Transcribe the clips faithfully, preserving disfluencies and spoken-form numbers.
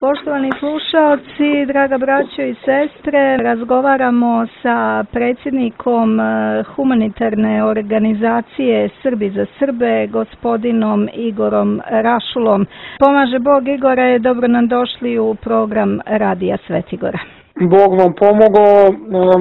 Poštovani slušaoci, draga braćo i sestre, razgovaramo sa predsjednikom humanitarne organizacije Srbi za Srbe, gospodinom Igorom Rašulom. Pomaže Bog, Igore, dobro nam došli u program Radija Svetigora. Bog vam pomogao,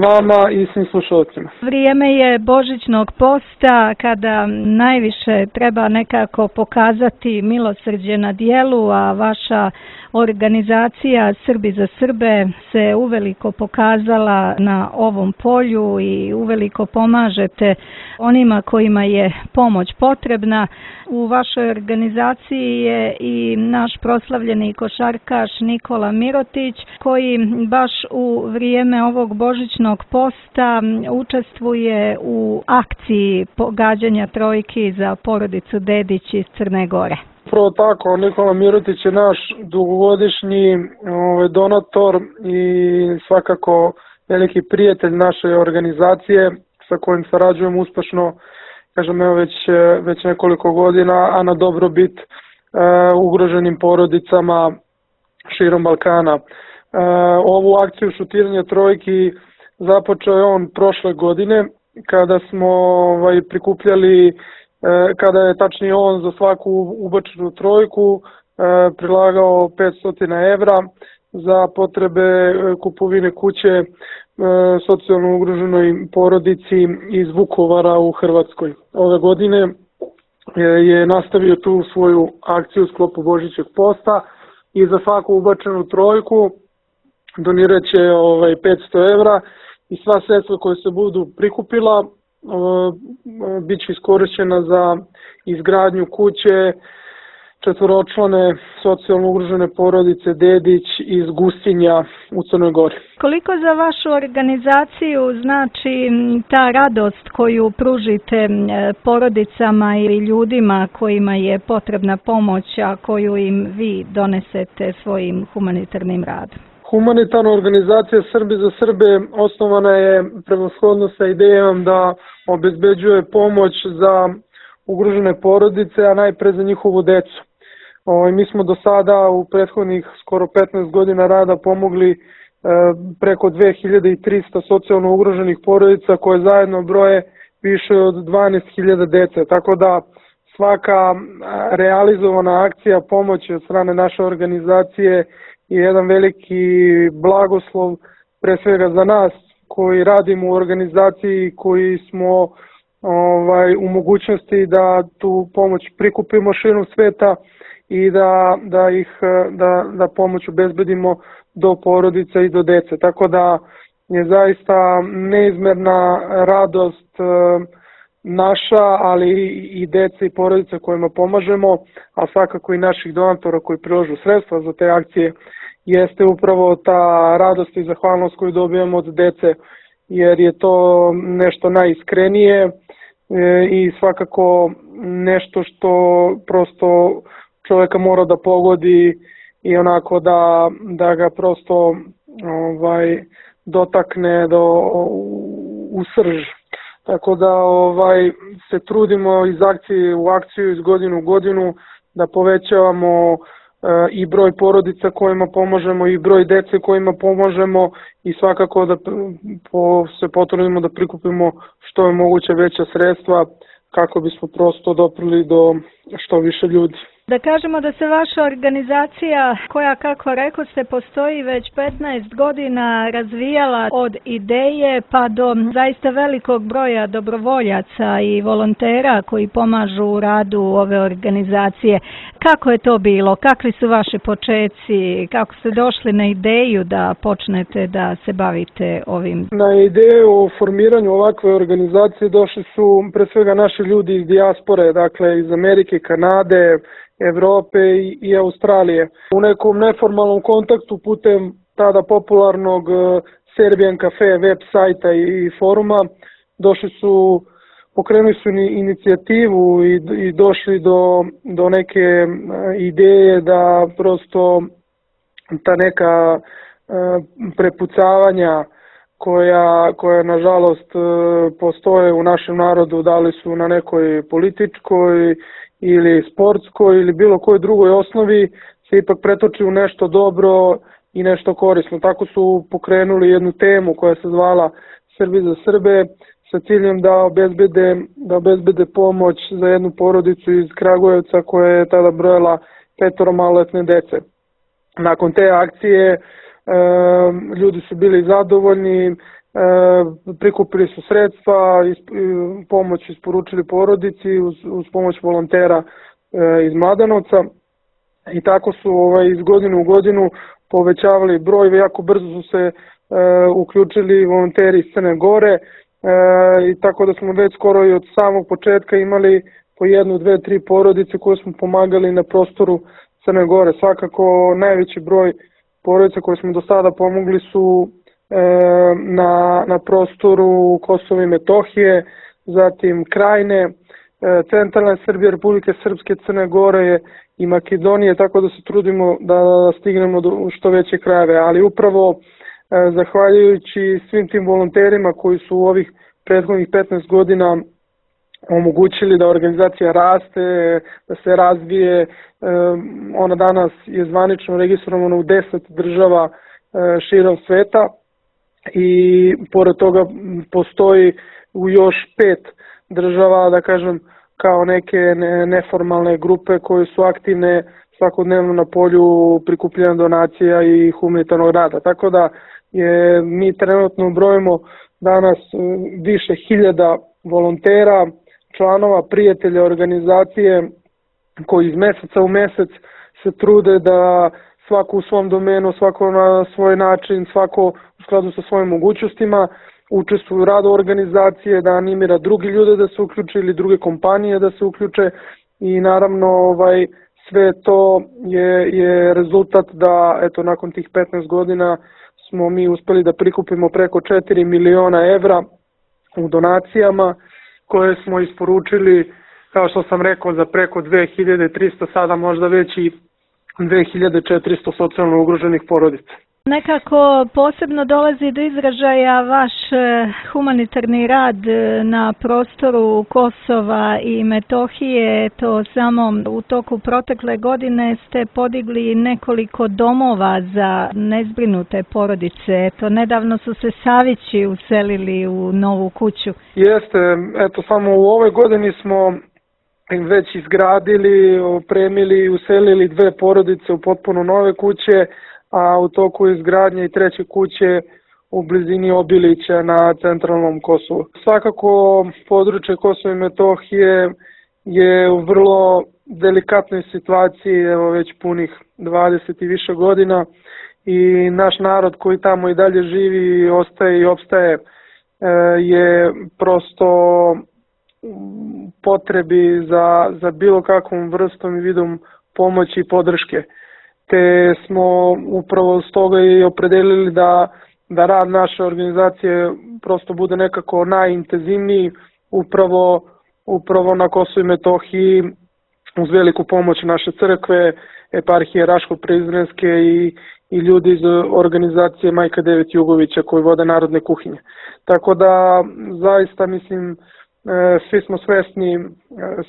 vama i svim slušalcima. Vrijeme je božićnog posta kada najviše treba nekako pokazati milosrđe na dijelu, a vaša organizacija Srbi za Srbe se uveliko pokazala na ovom polju i uveliko pomažete onima kojima je pomoć potrebna. U vašoj organizaciji je i naš proslavljeni košarkaš Nikola Mirotić, koji baš u vrijeme ovog božićnog posta učestvuje u akciji pogađanja trojki za porodicu Dedić iz Crne Gore. Upravo tako, Nikola Mirotić je naš dugogodišnji ovaj, donator i svakako veliki prijatelj naše organizacije sa kojim sarađujemo uspešno, kažem, evo već, već nekoliko godina, a na dobrobit e, ugroženim porodicama širom Balkana. E, ovu akciju šutiranja trojki započeo je on prošle godine kada smo ovaj, prikupljali, kada je tačnije on za svaku ubačenu trojku e, prilagao petsto evra za potrebe kupovine kuće e, socijalno ugroženoj porodici iz Vukovara u Hrvatskoj. Ove godine e, je nastavio tu svoju akciju u sklopu Božićeg posta i za svaku ubačenu trojku donirat će ovaj, petsto evra i sva sredstva koje se budu prikupila bit će iskorišćena za izgradnju kuće četvoročlane socijalno ugrožene porodice Dedić iz Gustinja u Crnoj Gori. Koliko za vašu organizaciju znači ta radost koju pružite porodicama ili ljudima kojima je potrebna pomoć, a koju im vi donesete svojim humanitarnim radom? Humanitarna organizacija Srbi za Srbe osnovana je prevashodno sa idejom da obezbeđuje pomoć za ugrožene porodice, a najpre za njihovu decu. O, mi smo do sada u prethodnih skoro petnaest godina rada pomogli e, preko dve hiljade trista socijalno ugroženih porodica koje zajedno broje više od dvanaest hiljada dece. Tako da svaka realizovana akcija pomoći od strane naše organizacije je jedan veliki blagoslov pre svega za nas koji radimo u organizaciji, koji smo ovaj, u mogućnosti da tu pomoć prikupimo širom sveta i da, da, ih, da, da pomoć obezbedimo do porodica i do dece. Tako da je zaista neizmerna radost naša, ali i dece i porodice kojima pomažemo, a svakako i naših donatora koji prilažu sredstva za te akcije, jeste upravo ta radost i zahvalnost koju dobijamo od dece, jer je to nešto najiskrenije i svakako nešto što prosto čovjeka mora da pogodi i onako da, da ga prosto ovaj, dotakne do, u srž. Tako da ovaj, se trudimo iz akcije u akciju, iz godinu u godinu, da povećavamo e, i broj porodica kojima pomažemo i broj dece kojima pomažemo i svakako da po, se potrudimo da prikupimo što je moguće veća sredstva kako bismo prosto doprli do što više ljudi. Da kažemo da se vaša organizacija, koja kako rekao ste postoji već petnaest godina, razvijala od ideje pa do zaista velikog broja dobrovoljaca i volontera koji pomažu u radu ove organizacije. Kako je to bilo? Kakvi su vaši počeci? Kako ste došli na ideju da počnete da se bavite ovim? Na ideju o formiranju ovakve organizacije došli su pre svega naši ljudi iz dijaspore, dakle iz Amerike, Kanade, Evrope i, i Australije. U nekom neformalnom kontaktu putem tada popularnog Serbian Cafe web sajta i foruma došli su, pokrenuli su inicijativu i, i došli do, do neke ideje da prosto ta neka prepucavanja koja, koja nažalost postoje u našem narodu, da li su na nekoj političkoj ili sportskoj ili bilo kojoj drugoj osnovi, se ipak pretoči u nešto dobro i nešto korisno. Tako su pokrenuli jednu temu koja se zvala Srbi za Srbe, sa ciljem da obezbede, da obezbede pomoć za jednu porodicu iz Kragujevca koja je tada brojala petoro maloletne dece. Nakon te akcije e, ljudi su bili zadovoljni, e, prikupili su sredstva, isp, pomoć isporučili porodici uz, uz pomoć volontera e, iz Mladenovca i tako su ovaj, iz godine u godinu povećavali broj, jako brzo su se e, uključili volonteri iz Crne Gore e, i tako da smo već skoro i od samog početka imali po jednu, dve, tri porodice koje smo pomagali na prostoru Crne Gore. Svakako najveći broj porodica koje smo do sada pomogli su e, na, na prostoru Kosova i Metohije, zatim Krajine, e, centralne Srbije, Republike Srpske, Crne Gore i Makedonije, tako da se trudimo da stignemo do što veće krajeve, ali upravo e, zahvaljujući svim tim volonterima koji su u ovih prethodnih petnaest godina omogućili da organizacija raste, da se razvije. E, ona danas je zvanično registrovana u deset država e, širom sveta i pored toga postoji u još pet država, da kažem, kao neke ne, neformalne grupe koje su aktivne svakodnevno na polju prikupljanja donacija i humanitarnog rada. Tako da je, mi trenutno brojimo danas više hiljada volontera, članova, prijatelja organizacije koji iz meseca u mesec se trude da svako u svom domenu, svako na svoj način, svako u skladu sa svojim mogućnostima učestvuju u radu organizacije, da animira drugi ljude da se uključe ili druge kompanije da se uključe i naravno ovaj, sve to je, je rezultat da eto nakon tih petnaest godina smo mi uspeli da prikupimo preko četiri miliona evra u donacijama koje smo isporučili, kao što sam rekao, za preko dve hiljade trista, sada možda već i dve hiljade četiristo socijalno ugroženih porodica. Nekako posebno dolazi do izražaja vaš humanitarni rad na prostoru Kosova i Metohije. To samo u toku protekle godine ste podigli nekoliko domova za nezbrinute porodice. To nedavno su se Savići uselili u novu kuću. Jeste, eto samo u ovoj godini smo već izgradili, opremili i uselili dve porodice u potpuno nove kuće, a u toku izgradnje i treće kuće u blizini Obilića na centralnom Kosovu. Svakako područje Kosova i Metohije je u vrlo delikatnoj situaciji, evo već punih dvadeset i više godina i naš narod koji tamo i dalje živi, ostaje i opstaje je prosto potrebi za, za bilo kakvom vrstom i vidom pomoći i podrške. Te smo upravo stoga i opredelili da, da rad naše organizacije prosto bude nekako najintenzivniji upravo, upravo na Kosovu i Metohiji uz veliku pomoć naše crkve, eparhije Raško-Prizrenske i, i ljudi iz organizacije Majka Devet Jugovića koji vode narodne kuhinje. Tako da zaista mislim svi smo svesni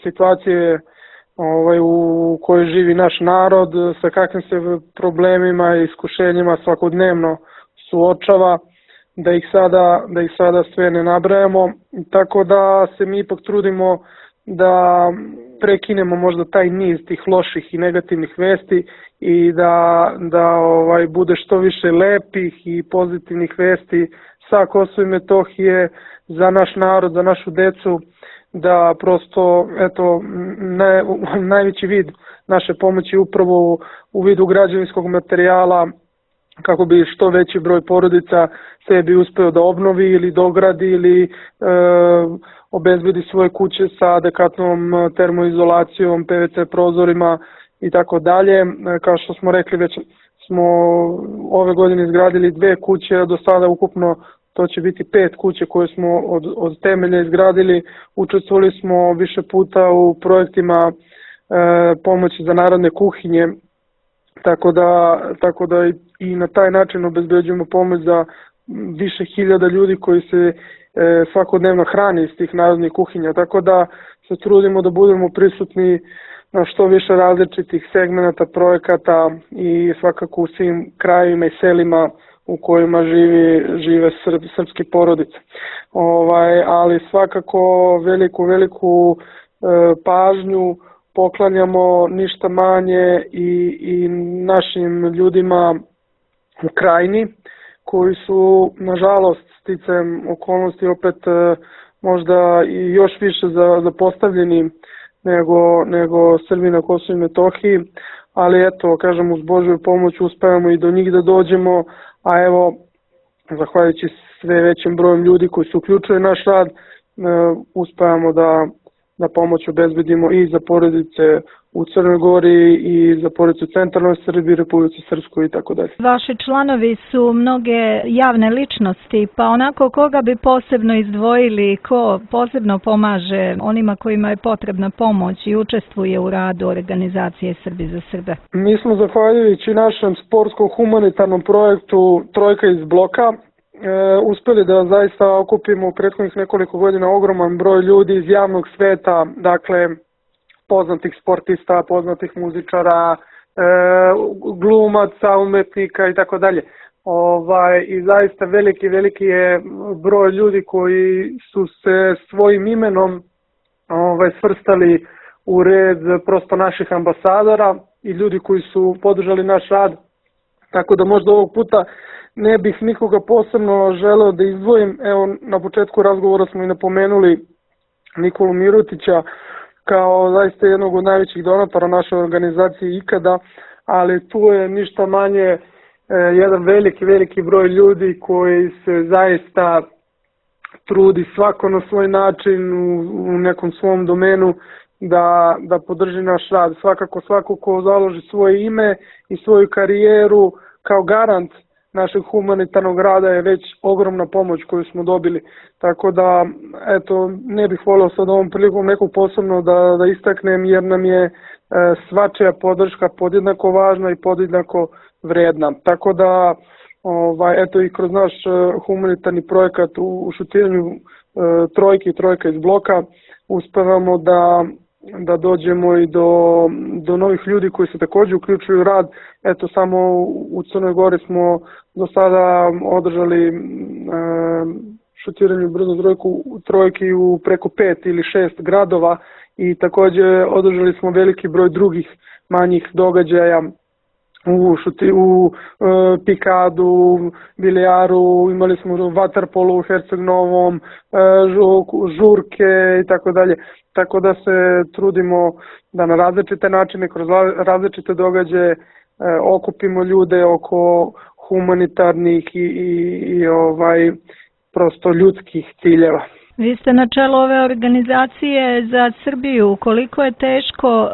situacije ovaj, u kojoj živi naš narod, sa kakvim se problemima i iskušenjima svakodnevno suočava, da ih sada, da ih sada sve ne nabrajamo. Tako da se mi ipak trudimo da prekinemo možda taj niz tih loših i negativnih vesti i da, da ovaj, bude što više lepih i pozitivnih vesti sa Kosova i Metohije za naš narod, za našu decu, da prosto, eto, ne, najveći vid naše pomoći upravo u, u vidu građevinskog materijala kako bi što veći broj porodica sebi uspeo da obnovi ili dogradi ili e, obezbedi svoje kuće sa adekvatnom termoizolacijom, P V C prozorima i tako dalje. Kao što smo rekli, već smo ove godine izgradili dve kuće, a do sada ukupno to će biti pet kuće koje smo od, od temelja izgradili. Učestvovali smo više puta u projektima e, pomoći za narodne kuhinje, tako da, tako da i, i na taj način obezbeđujemo pomoć za više hiljada ljudi koji se e, svakodnevno hrane iz tih narodnih kuhinja. Tako da se trudimo da budemo prisutni na što više različitih segmenata, projekata i svakako u svim krajevima i selima u kojima živi, žive srb, srpske porodice. Ovaj, ali svakako veliku, veliku e, pažnju poklanjamo ništa manje i, i našim ljudima u krajini, koji su, nažalost, sticajem okolnosti opet možda i još više zapostavljeni nego, nego Srbi na Kosovu i Metohiji, ali eto, kažem, uz Božju pomoć uspevamo i do njih da dođemo, a evo, zahvaljujući sve većim brojem ljudi koji se uključuju naš rad, uspevamo da, da pomoć obezbedimo i za porodice u Crnoj Gori i za porodice u centralnoj Srbiji, Republici Srpskoj i tako dalje. Vaši članovi su mnoge javne ličnosti, pa onako koga bi posebno izdvojili, ko posebno pomaže onima kojima je potrebna pomoć i učestvuje u radu organizacije Srbi za Srbe? Mi smo, zahvaljujući našem sportskom humanitarnom projektu Trojka iz bloka, E, uspeli da zaista okupimo u prethodnih nekoliko godina ogroman broj ljudi iz javnog sveta, dakle poznatih sportista, poznatih muzičara, e, glumaca, umetnika i tako dalje. Ovaj, i zaista veliki, veliki je broj ljudi koji su se svojim imenom ovaj, svrstali u red prosto naših ambasadora i ljudi koji su podržali naš rad, tako da možda ovog puta ne bih nikoga posebno želeo da izdvojim. Evo, na početku razgovora smo i napomenuli Nikolu Mirutića kao zaista jednog od najvećih donatora naše organizacije ikada, ali tu je ništa manje e, jedan veliki, veliki broj ljudi koji se zaista trudi svako na svoj način u, u nekom svom domenu da, da podrži naš rad. Svakako svako ko založi svoje ime i svoju karijeru kao garant našeg humanitarnog rada je već ogromna pomoć koju smo dobili. Tako da, eto, ne bih volio sad ovom prilikom nekog posebno da, da istaknem, jer nam je e, svačija podrška podjednako važna i podjednako vredna. Tako da, ovaj, eto, i kroz naš humanitarni projekat u, u šutiranju e, trojke i trojka iz bloka uspevamo da da dođemo i do, do novih ljudi koji se također uključuju u rad. Eto, samo u Crnoj Gori smo do sada održali e, šutiranje brzo trojku, trojki u preko pet ili šest gradova i također održali smo veliki broj drugih manjih događaja u, šuti, u e, pikadu, bilijaru, imali smo vaterpolu u Herceg Novom, e, žurke i tako dalje. Tako da se trudimo da na različite načine, kroz različite događaje e, okupimo ljude oko humanitarnih i, i, i ovaj, prosto ljudskih ciljeva. Vi ste na čelu ove organizacije za Srbiju. Koliko je teško uh,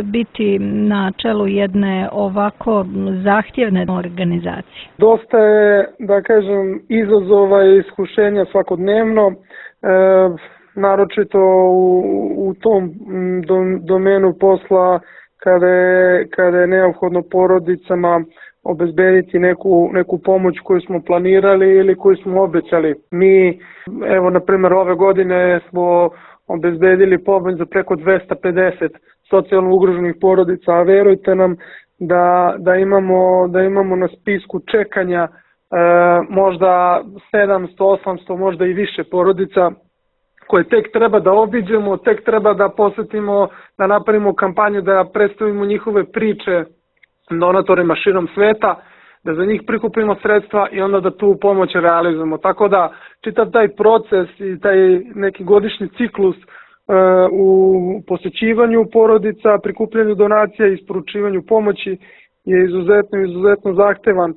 biti na čelu jedne ovako zahtjevne organizacije? Dosta je, da kažem, izazova i iskušenja svakodnevno, e, naročito u, u tom domenu posla kada je, kada je neophodno porodicama obezbediti neku, neku pomoć koju smo planirali ili koju smo obećali. Mi, evo, na primjer, ove godine smo obezbedili pomoć za preko dvesta pedeset socijalno ugroženih porodica, a verujte nam da, da, imamo, da imamo na spisku čekanja e, možda sedamsto, osamsto, možda i više porodica koje tek treba da obiđemo, tek treba da posetimo, da napravimo kampanju, da predstavimo njihove priče donatorima širom sveta, da za njih prikupimo sredstva i onda da tu pomoć realizujemo. Tako da čitav taj proces i taj neki godišnji ciklus e, u posjećivanju porodica, prikupljanju donacija i isporučivanju pomoći je izuzetno, izuzetno zahtevan. E,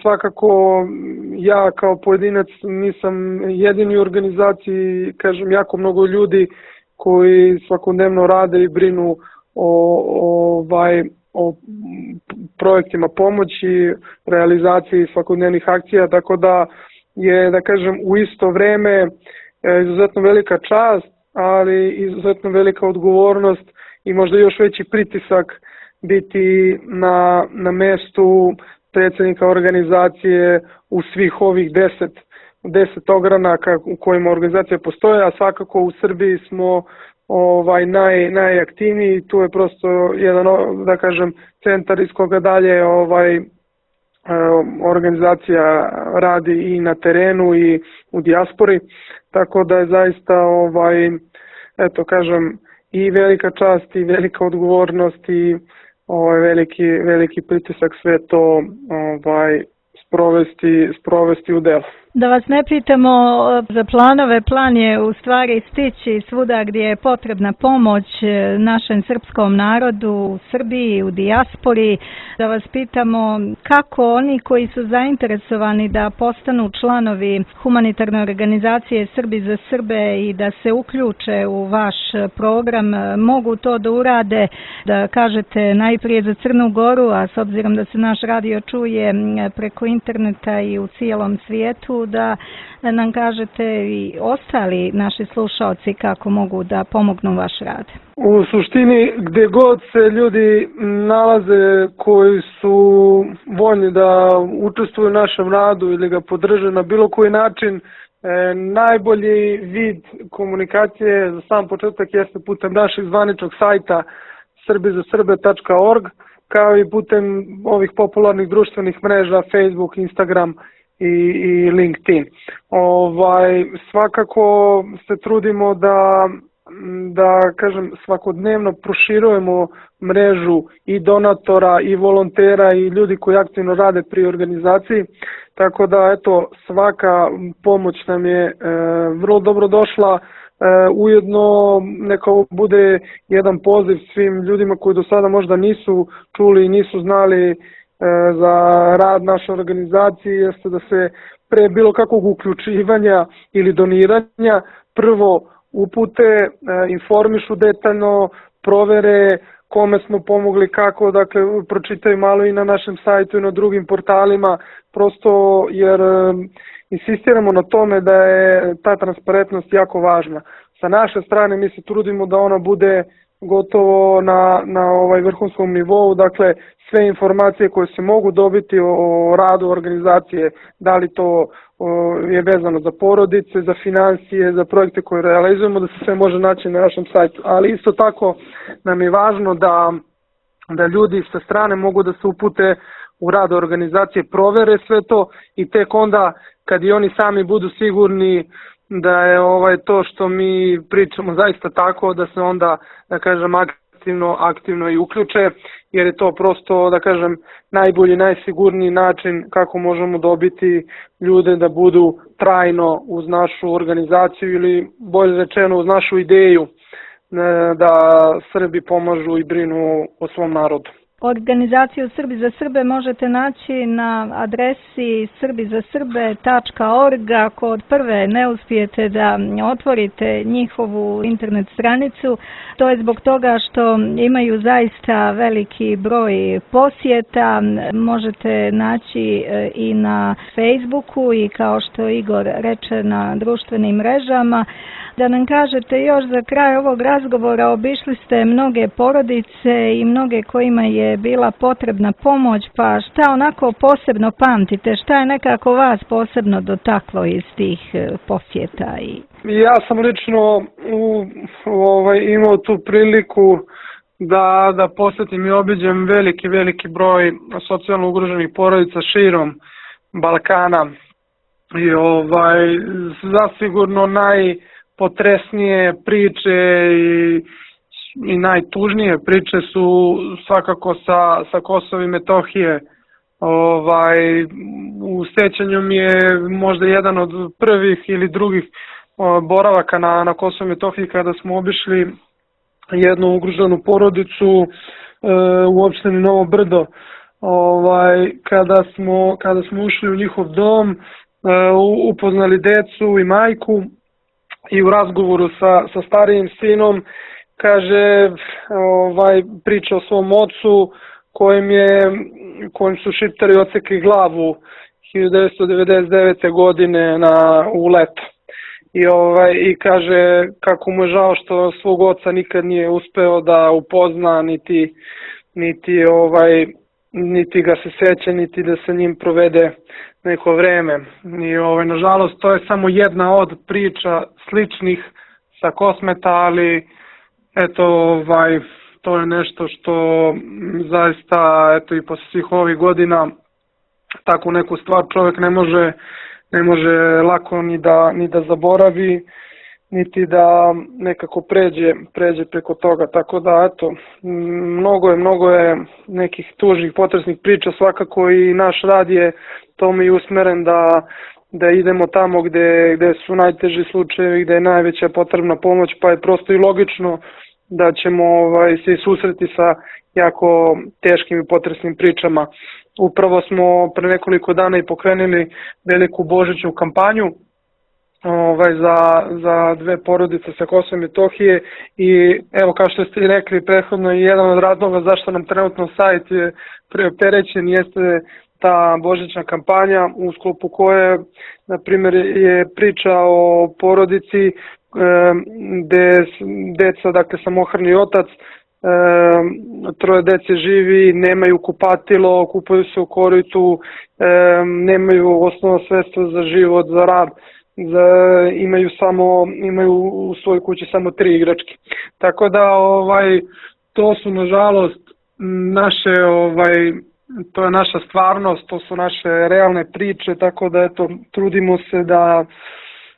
svakako ja kao pojedinac nisam jedini u organizaciji, kažem, jako mnogo ljudi koji svakodnevno rade i brinu o, o ovaj o projektima pomoći, realizaciji svakodnevnih akcija, tako da je, da kažem, u isto vreme izuzetno velika čast, ali izuzetno velika odgovornost i možda još veći pritisak biti na, na mestu predsjednika organizacije u svih ovih deset, deset ogranaka u kojima organizacija postoje, a svakako u Srbiji smo ovaj naj najaktivniji. Tu je prosto jedan, da kažem, centar iz koga dalje ovaj organizacija radi i na terenu i u dijaspori, tako da je zaista ovaj eto kažem i velika čast i velika odgovornost i ovaj veliki veliki pritisak sve to ovaj sprovesti sprovesti u delo. Da vas ne pitamo za planove, plan je u stvari stići svuda gdje je potrebna pomoć našem srpskom narodu u Srbiji, u dijaspori. Da vas pitamo kako oni koji su zainteresovani da postanu članovi humanitarne organizacije Srbi za Srbe i da se uključe u vaš program, mogu to da urade, da kažete najprije za Crnu Goru, a s obzirom da se naš radio čuje preko interneta i u cijelom svijetu, da nam kažete i ostali naši slušaoci kako mogu da pomognu vaš rad. U suštini, gdje god se ljudi nalaze koji su voljni da učestvuju u našem radu ili ga podrže na bilo koji način, e, najbolji vid komunikacije za sam početak jeste putem našeg zvaničnog sajta srbi za srbe tačka org, kao i putem ovih popularnih društvenih mreža Facebook, Instagram i, i LinkedIn. Ovaj, svakako se trudimo da, da kažem, svakodnevno proširujemo mrežu i donatora i volontera i ljudi koji aktivno rade pri organizaciji, tako da eto svaka pomoć nam je e, vrlo dobro došla. E, ujedno neka bude jedan poziv svim ljudima koji do sada možda nisu čuli i nisu znali za rad naše organizacije, jeste da se pre bilo kakvog uključivanja ili doniranja prvo upute, informišu detaljno, provere kome smo pomogli, kako, dakle pročitaju malo i na našem sajtu i na drugim portalima, prosto jer insistiramo na tome da je ta transparentnost jako važna. Sa naše strane mi se trudimo da ona bude gotovo na, na ovaj vrhunskom nivou, dakle sve informacije koje se mogu dobiti o, o radu organizacije, da li to o, je vezano za porodice, za financije, za projekte koje realizujemo, da se sve može naći na našem sajtu. Ali isto tako nam je važno da, da ljudi sa strane mogu da se upute u rad organizacije, provere sve to i tek onda kad i oni sami budu sigurni da je ovaj to što mi pričamo zaista tako, da se onda, da kažem, aktivno, aktivno i uključe, jer je to prosto, da kažem, najbolji, najsigurniji način kako možemo dobiti ljude da budu trajno uz našu organizaciju ili bolje rečeno uz našu ideju da Srbi pomažu i brinu o svom narodu. Organizaciju Srbi za Srbe možete naći na adresi srbi za srbe tačka org. Ako od prve ne uspijete da otvorite njihovu internet stranicu, to je zbog toga što imaju zaista veliki broj posjeta. Možete naći i na Facebooku i kao što Igor reče na društvenim mrežama. Da nam kažete još za kraj ovog razgovora, obišli ste mnoge porodice i mnoge kojima je bila potrebna pomoć, pa šta onako posebno pamtite, šta je nekako vas posebno dotaklo iz tih posjeta? I... Ja sam lično u, ovaj, imao tu priliku da, da posjetim i obiđem veliki, veliki broj socijalno ugroženih porodica širom Balkana i ovaj, zasigurno naj potresnije priče i, i najtužnije priče su svakako sa, sa Kosova i Metohije. Ovaj, u sećanju mi je možda jedan od prvih ili drugih o, boravaka na, na Kosovu i Metohiji kada smo obišli jednu ugroženu porodicu e, u opštini Novo Brdo. Ovaj, kada, smo, kada smo ušli u njihov dom, e, upoznali decu i majku, i u razgovoru sa, sa starijim sinom kaže, ovaj, priča o svom ocu kojem, je, kojem su Šiptari odsekli glavu hiljadu devetsto devedeset devete. godine na, u leto. I, ovaj, I kaže kako mu je žao što svog oca nikad nije uspeo da upozna, niti, niti, ovaj, niti ga se seća, niti da se njim provede neko vreme. I ovaj, nažalost to je samo jedna od priča sličnih sa Kosmeta, ali eto, ovaj, to je nešto što zaista, eto, i posle svih ovih godina takvu neku stvar čovjek ne može, ne može lako ni da, ni da zaboravi, niti da nekako pređe, pređe preko toga. Tako da, eto, mnogo je, mnogo je nekih tužnih, potresnih priča, svakako i naš rad je tome i usmeren da, da idemo tamo gde, gde su najteži slučajevi, gde je najveća potrebna pomoć, pa je prosto i logično da ćemo ovaj, se susreti sa jako teškim i potresnim pričama. Upravo smo pre nekoliko dana i pokrenuli veliku božićnu kampanju ovaj, za, za dve porodice sa Kosova i Metohije i evo, kao što ste i rekli prethodno, jedan od razloga zašto nam trenutno sajt je preopterećen jeste ta božićna kampanja u sklopu koje, na primjer, je priča o porodici gde deca, dakle samohrani otac, troje dece živi, nemaju kupatilo, kupaju se u koritu, nemaju osnovno sredstvo za život, za rad, za, imaju samo imaju u svojoj kući samo tri igračke. Tako da ovaj to su nažalost naše ovaj to je naša stvarnost, to su naše realne priče, tako da eto trudimo se da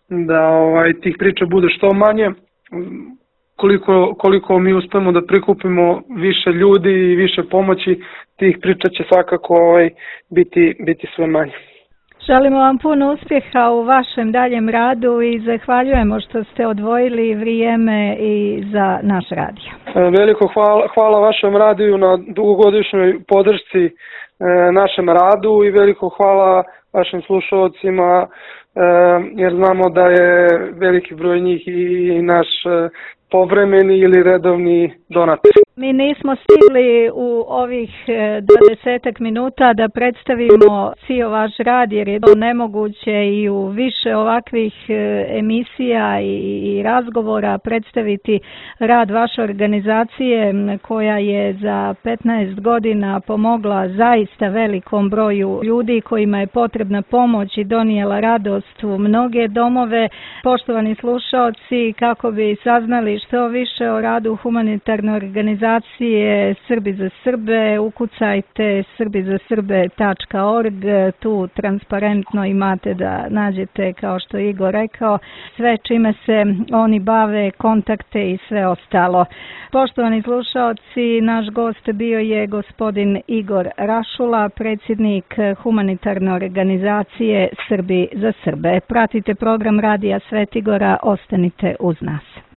da ovaj tih priča bude što manje. Koliko, koliko mi uspemo da prikupimo više ljudi i više pomoći, tih priča će svakako ovaj, biti, biti sve manje. Želimo vam puno uspjeha u vašem daljem radu i zahvaljujemo što ste odvojili vrijeme i za naš radio. Veliko hvala, hvala vašem radiju na dugogodišnjoj podršci e, našem radu i veliko hvala vašim slušalcima, e, jer znamo da je veliki broj njih i naš e, povremeni ili redovni donator. Mi nismo stigli u ovih dvadesetak minuta da predstavimo cijel vaš rad, jer je to nemoguće i u više ovakvih emisija i razgovora predstaviti rad vaše organizacije koja je za petnaest godina pomogla zaista velikom broju ljudi kojima je potrebna pomoć i donijela radost u mnoge domove. Poštovani slušaoci, kako bi saznali što više o radu humanitarne organizacije Srbi za Srbe, ukucajte srbi za srbe tačka org, tu transparentno imate da nađete, kao što je Igor rekao, sve čime se oni bave, kontakte i sve ostalo. Poštovani slušaoci, naš gost bio je gospodin Igor Rašula, predsjednik humanitarne organizacije Srbi za Srbe. Pratite program Radija Svetigora, ostanite uz nas.